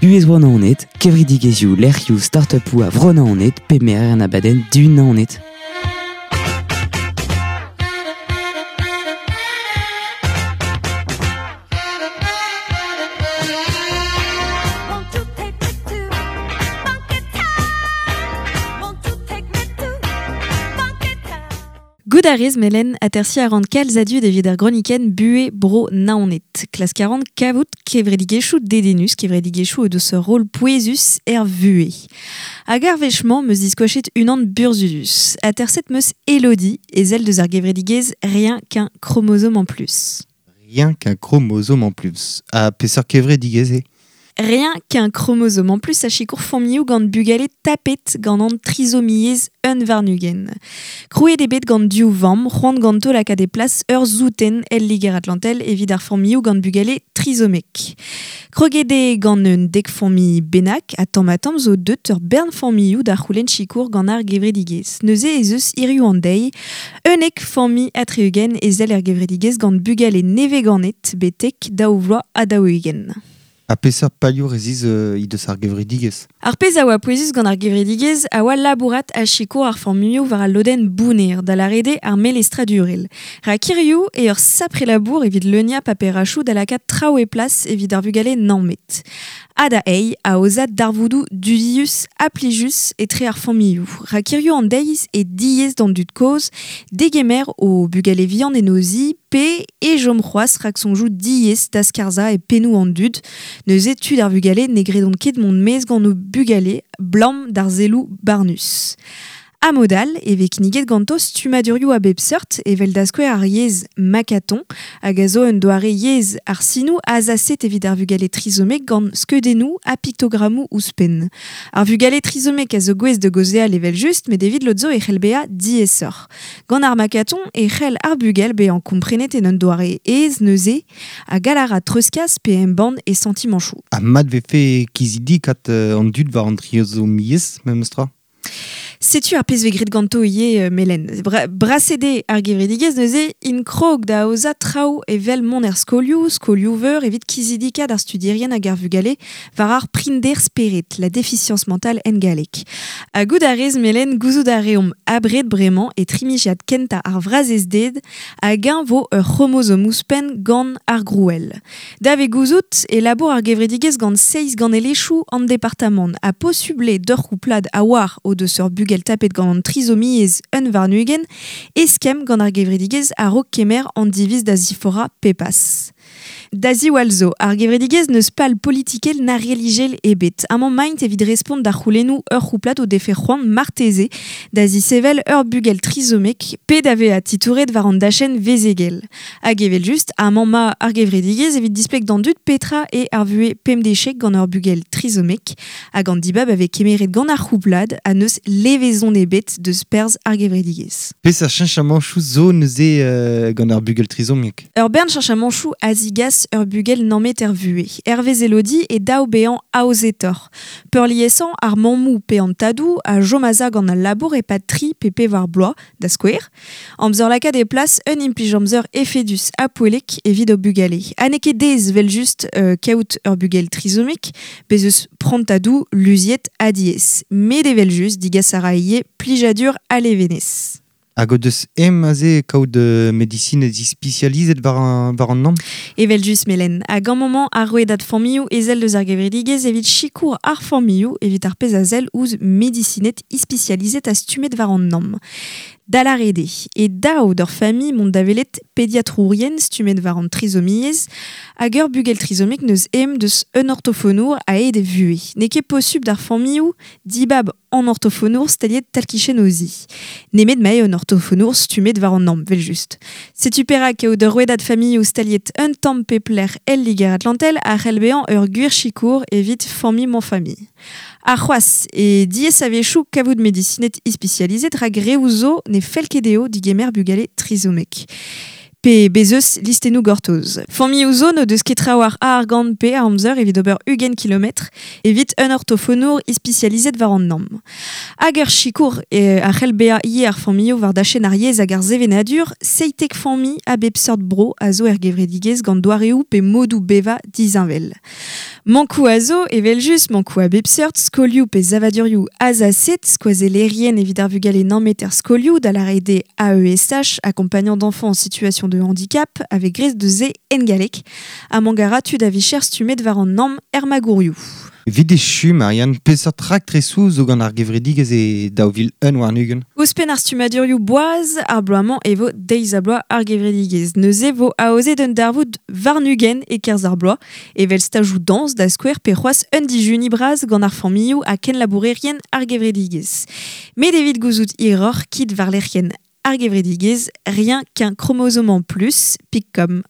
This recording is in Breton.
Buhez Bro Naoned, kevredigezhioù, lec'hioù, start-upoù a Vro-Naoned pe merer an abadenn Dihun Naoned. Goût a rez melen atersiñ a ran kalz a dud evit ar gronikenn Buhez Bro Naoned. Klask a ran kavout kevredigezhioù dedennus, kevredigezhioù o deus ur rol pouezus er vuhez. Hag ar wech-mañ 'm eus diskoachet unan burzhudus. Aterset 'm eus Elodie, ezel deus ar gevredigezh Rien qu'un chromosome en plus. Rien qu'un chromosome en plus. Ha peseurt kevredigezh eo? Rien qu'un chromosome en plus a sikour familhoù gant bugale tapet gant an trisomiezh un warn-ugent. Krouet eo bet gant div vamm, c'hoant ganto lakaat e plas ur souten el Liger-Atlantel evit ar familhoù gant bugale trisomek. Kroget eo gant un dek familh bennak ha tamm-ha-tamm zo deut ur bern familhoù da c'houlenn sikour gant ar gevredigezh. Neuze ez eus hiriv an deiz 11 familh ha 60 ezel er gevredigezh gant bugale nevez-ganet betek 42. Ha peseurt palioù resis he deus ar gevredigezh? Ar pezh a oa pouezus gant ar gevredigezh a oa labourat ha sikour ar familhoù war al lodenn bounner, da lâret eo ar melestradurel. Rak hiziv eo ur sapre labour evit leuniañ paperachoù da lakaat traoù e plas evit ar vugale nammet. Ha da eil, aozañ darvoudoù dudius ha plijus etre ar familhoù. Rak hiziv an deiz eo diaes d'an dud kozh degemer o bugale vihan en o zi pe e chom c'hoazh raksoñjoù diaes da skarzhañ e pennoù an dud. Neuze tud ar vugale ne gredont ket mont maez gant o bugale 'blam d'ar selloù barnus. Ha mod all e vez kinniget ganto stummadurioù a bep seurt evel da skouer ar yezh makaton hag a zo un doare yezh ar sinoù azaset evit ar vugale trizomek gant skeudennoù ha piktogrammoù ouzhpenn. Ar vugale trizomek a zo gouest da gaozeal evel-just met evit lod zo e c'hell bezañ diaesoc'h. Gant ar makaton e c'hell ar bugel bezañ komprenet en un doare aes neuze ha gall a ra treuzkas pe embann e santimanchoù. Ha mat 'vefe kizidikat an dud war an trizomiezh memestra? Setu ar pezh 'vez graet ganto ivez Melen. Braset eo ar gevredigezh neuze int krog da aozañ traoù evel mont er skolioù, skolioù-veur evit kizidikat ar studierien hag ar vugale war ar prinder spered, la déficience mentale en galleg. Ha goût a rez Melen, gouzout a reomp abred bremañ e trimiziad kentañ ar vrazezded hag-eñ 'vo ur c'hromozom ouzhpenn gant ar grouell. Da vez gouzout e labour ar gevredigezh gant seizh ganelezhioù an departamant ha posubl eo d'ur c'houplad a oar o deus ur bugel tapet gant an trizomiezh 21 eskemm gant ar gevredigezh a-raok kemer an diviz da ziforc'hañ pepas. Da ziwall zo, ar gevredigezh n'eus pal politikel na relijiel ebet. Amañ 'maint evit respont da c'houlennoù ur c'houplad o defe c'hoant marteze da zisevel ur bugel trizomek pe da vezañ titouret war an dachenn vezegel. Hag evel-just, amañ 'ma ar gevredigezh evit displeg d'an dud petra eo ar vuhez pemdeziek gant ur bugel trizomek hag an dibab a vez kemeret gant ar c'houplad ha n'eus levezon ebet deus perzh ar gevredigezh. Peseurt cheñchamanchoù zo neuze gant ar bugel trizomiek? Ur bern cheñchamanchoù a zigas ur bugel nammet er vuhez. Hervez Elodie e dav bezañ aozetoc'h. Peurliesañ ar mammoù pe an tadoù a chom a-za gant al labour e-pad tri pe pevar bloaz, da skouer. Amzer lakaat e plas un implij-amzer efedus ha poellek evit o bugale. Ha n'eo ket aes evel-just kaout ur bugel trizomek, bez' eus prantadoù luziet ha diaes. Met evel-just digas a ra ivez plijadur ha levenez. Hag o deus ezhomm aze kaout medisined ispisializet war an namm? Evel-just, Melen. Hag amañ 'mañ ar rouedad familhoù ezel deus ar gevredigezh evit sikour ar familhoù evit ar pezh a sell ouzh medisined ispisializet ha stummet war an namm. Da lâret eo e dav d'ur familh mont da welet pediatrourien stummet war an trizomiezh hag ur bugel trizomek n'eus ezhomm deus un ortofonour a-hed e vuhez. N'eo ket posupl d'ar familhoù dibab an ortofonour staliet tal-kichen o zi. Nemet ma eo un ortofonour stummet war an namm, evel-just. Setu perak eo d'ur rouedad familhoù staliet un tamm pep lec'h el Liger-Atlantel a c'hell bezañ ur gwir sikour evit familh-mañ-familh. Ha c'hoazh e diaes a-wechoù kavout medisined ispisializet rak reoù zo ne fell ket dezho digemer bugale trizomek. Pe bez' eus listennoù gortoz. Familhoù zo n'o deus ket trawalc'h a argant pe a amzer evit ober 20 kilometr evit un ortofonour ispisializet war an namm. Hag ur sikour a c'hell bezañ ivez ar familhoù war dachenn ar yezh hag ar sevenadur, 17 familh a bep seurt bro a zo er gevredigezh gant doareoù pe modoù bevañ disheñvel. Mankou a zo, evel just, mankou a bep seurt, skolioù pe zavadurioù azaset, skoazellerien evit ar vugale nammet er skolioù da la rede AESH, accompagnant d'enfants en situation de handicap, avec grez de ze engalek, a mangara tud a vicher stumet war an namm er magourioù. Evit echu, Marianne, peseurt raktresoù zo gant ar gevredigezh e 2001 warn-ugent? Ouzhpenn ar stummadurioù boaz, ar bloaz-mañ e vo deiz ha bloaz ar gevredigezh. Neuze vo aozet un darvoud warn-ugent e-kerzh ar bloaz, evel stajoù dañs da skouer pe c'hoazh un dijuni bras gant ar familhoù ha kenlabourerien ar gevredigezh. Met evit gouzout hiroc'h kit war lec'hienn ar gevredigezh, rien qu'un chromosome en plus, pik.com.